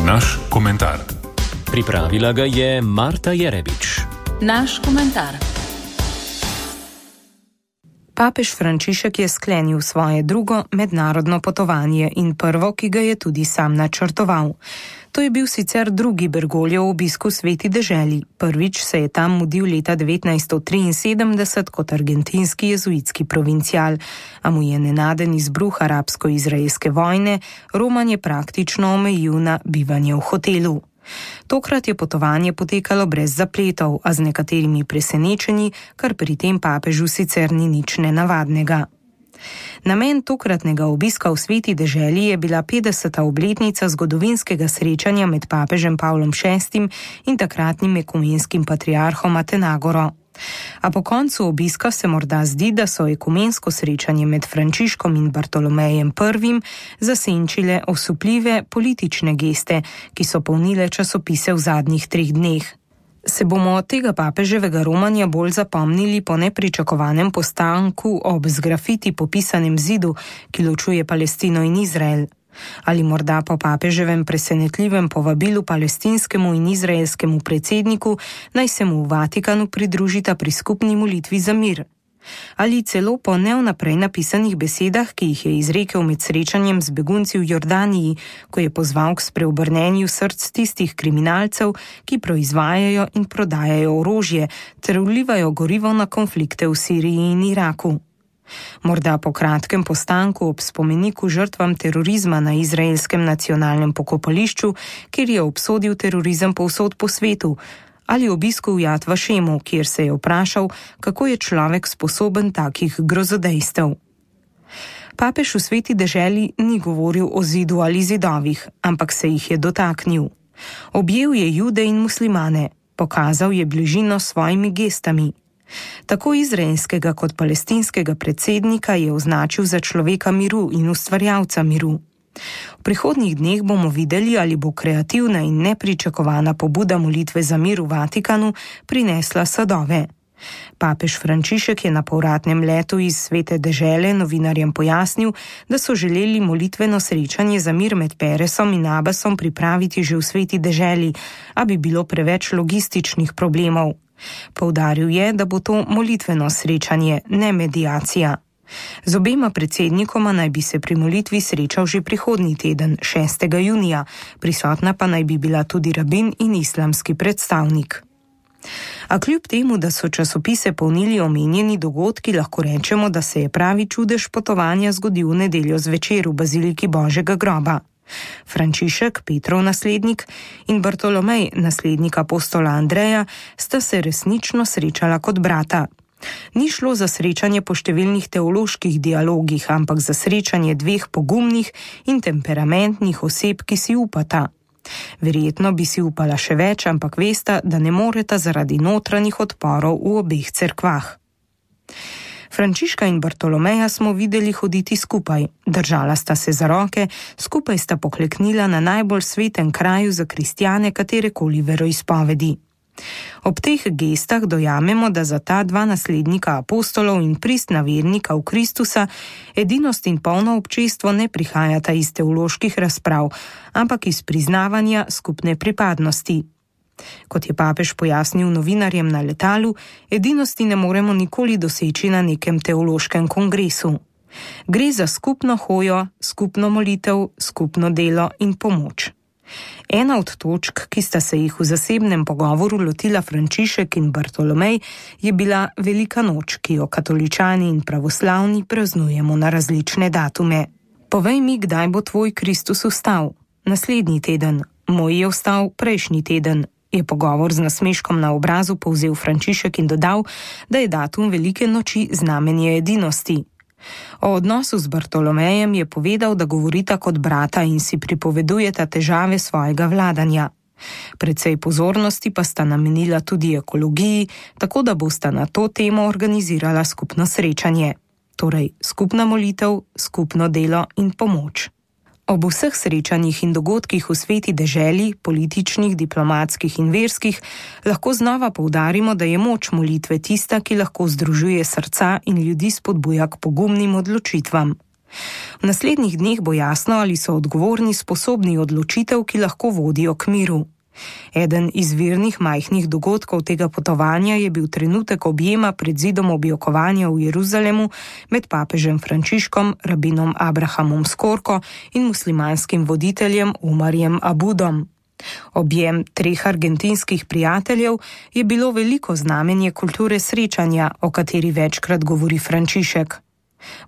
Naš komentar. Pripravila ga je Marta Jerebič. Naš komentar. Papež Frančišek je sklenil svoje drugo mednarodno potovanje in prvo, ki ga je tudi sam načrtoval. To je bil sicer drugi Bergogljev obisk v Sveti deželi. Prvič se je tam mudil leta 1973 kot argentinski jezuitski provincial, a mu je nenaden izbruh arabsko-izraelske vojne romanje praktično omejil na bivanje v hotelu. Tokrat je potovanje potekalo brez zapletov, a z nekaterimi presenečenji, kar pri tem papežu sicer ni nič nenavadnega. Namen tokratnega obiska v Sveti deželi je bila 50. obletnica zgodovinskega srečanja med papežem Pavlom VI in takratnim ekumenskim patriarhom Atenagoro. A po koncu obiska se morda zdi, da so ekumensko srečanje med Frančiškom in Bartolomejem I zasenčile osupljive politične geste, ki so polnile časopise v zadnjih 3 dneh. Se bomo od tega papeževega romanja bolj zapomnili po nepričakovanem postanku ob z grafiti popisanem zidu, ki ločuje Palestino in Izrael? Ali morda po papeževem presenetljivem povabilu palestinskemu in izraelskemu predsedniku, naj se mu v Vatikanu pridružita pri skupni molitvi za mir? Ali celo po nevnaprej napisanih besedah, ki jih je izrekel med srečanjem z begunci v Jordaniji, ko je pozval k spreobrnenju src tistih kriminalcev, ki proizvajajo in prodajajo orožje ter vlivajo gorivo na konflikte v Siriji in Iraku? Morda po kratkem postanku ob spomeniku žrtvam terorizma na izraelskem nacionalnem pokopališču, kjer je obsodil terorizem povsod po svetu, ali obisku v Jad Vašemu, kjer se je vprašal, kako je človek sposoben takih grozodejstev. Papež v Sveti deželi ni govoril o zidu ali zidovih, ampak se jih je dotaknil. Objel je Jude in muslimane, pokazal je bližino s svojimi gestami. Tako izraelskega kot palestinskega predsednika je označil za človeka miru in ustvarjalca miru. V prihodnjih dneh bomo videli, ali bo kreativna in nepričakovana pobuda molitve za mir v Vatikanu prinesla sadove. Papež Frančišek je na povratnem letu iz Svete dežele novinarjem pojasnil, da so želeli molitveno srečanje za mir med Peresom in Abbasom pripraviti že v Sveti deželi, a bi bilo preveč logističnih problemov. Poudaril je, da bo to molitveno srečanje, ne mediacija. Z obema predsednikoma naj bi se pri molitvi srečal že prihodnji teden, 6. junija, prisotna pa naj bi bila tudi rabin in islamski predstavnik. A kljub temu, da so časopise polnili omenjeni dogodki, lahko rečemo, da se je pravi čudež potovanja zgodil v nedeljo zvečer v baziliki Božjega groba. Frančišek, Petrov naslednik, in Bartolomej, naslednik apostola Andreja, sta se resnično srečala kot brata. Ni šlo za srečanje po številnih teoloških dialogih, ampak za srečanje dveh pogumnih in temperamentnih oseb, ki si upata. Verjetno bi si upala še več, ampak vesta, da ne moreta zaradi notranjih odporov v obeh cerkvah. Frančiška in Bartolomeja smo videli hoditi skupaj, držala sta se za roke, skupaj sta pokleknila na najbolj svetem kraju za kristjane katerekoli veroizpovedi. Ob teh gestah dojamemo, da za ta dva naslednika apostolov in pristna vernika v Kristusa edinost in polno občestvo ne prihajata iz teoloških razprav, ampak iz priznavanja skupne pripadnosti. Kot je papež pojasnil novinarjem na letalu, edinosti ne moremo nikoli doseči na nekem teološkem kongresu. Gre za skupno hojo, skupno molitev, skupno delo in pomoč. Ena od točk, ki sta se jih v zasebnem pogovoru lotila Frančišek in Bartolomej, je bila Velika noč, ki jo katoličani in pravoslavni praznujemo na različne datume. Povej mi, kdaj bo tvoj Kristus vstal? Naslednji teden. Moj je vstal prejšnji teden, je pogovor z nasmeškom na obrazu povzel Frančišek in dodal, da je datum Velike noči znamenje edinosti. O odnosu z Bartolomejem je povedal, da govorita kot brata in si pripovedujeta težave svojega vladanja. Precej pozornosti pa sta namenila tudi ekologiji, tako da bosta na to temo organizirala skupno srečanje. Torej, skupna molitev, skupno delo in pomoč. Ob vseh srečanjih in dogodkih v Sveti deželi, političnih, diplomatskih in verskih, lahko znova poudarimo, da je moč molitve tista, ki lahko združuje srca in ljudi spodbuja k pogumnim odločitvam. V naslednjih dneh bo jasno, ali so odgovorni sposobni odločitev, ki lahko vodijo k miru. Eden izvirnih majhnih dogodkov tega potovanja je bil trenutek objema pred zidom objokovanja v Jeruzalemu med papežem Frančiškom, rabinom Abrahamom Skorko in muslimanskim voditeljem Umarjem Abudom. Objem 3 argentinskih prijateljev je bilo veliko znamenje kulture srečanja, o kateri večkrat govori Frančišek.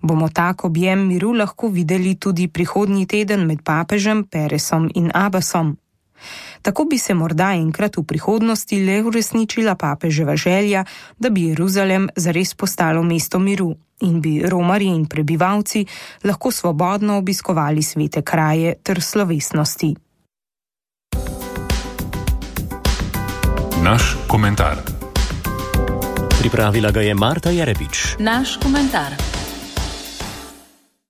Bomo tak objem miru lahko videli tudi prihodnji teden med papežem, Peresom in Abbasom. Tako bi se morda enkrat v prihodnosti le uresničila papeževa želja, da bi Jeruzalem zares postalo mesto miru in bi romarji in prebivalci lahko svobodno obiskovali svete kraje ter slovesnosti. Naš komentar. Pripravila ga je Marta Jerebič. Naš komentar.